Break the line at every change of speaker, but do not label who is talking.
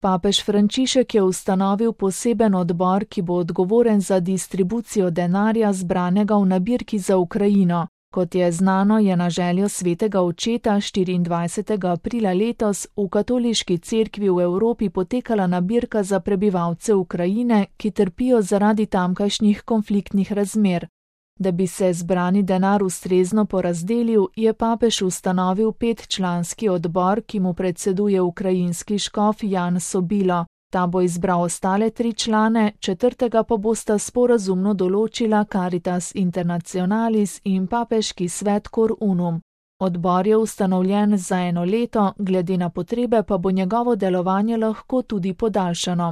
Papež Frančišek je ustanovil poseben odbor, ki bo odgovoren za distribucijo denarja zbranega v nabirki za Ukrajino. Kot je znano, je na željo svetega očeta 24. aprila letos v katoliški cerkvi v Evropi potekala nabirka za prebivalce Ukrajine, ki trpijo zaradi tamkajšnjih konfliktnih razmer. Da bi se zbrani denar ustrezno porazdelil, je papež ustanovil 5-članski odbor, ki mu predseduje ukrajinski škof Jan Sobilo. Ta bo izbral ostale 3 člane, 4. pa bosta sporazumno določila Caritas Internationalis in papeški svet Cor Unum. Odbor je ustanovljen za 1 leto, glede na potrebe pa bo njegovo delovanje lahko tudi podaljšano.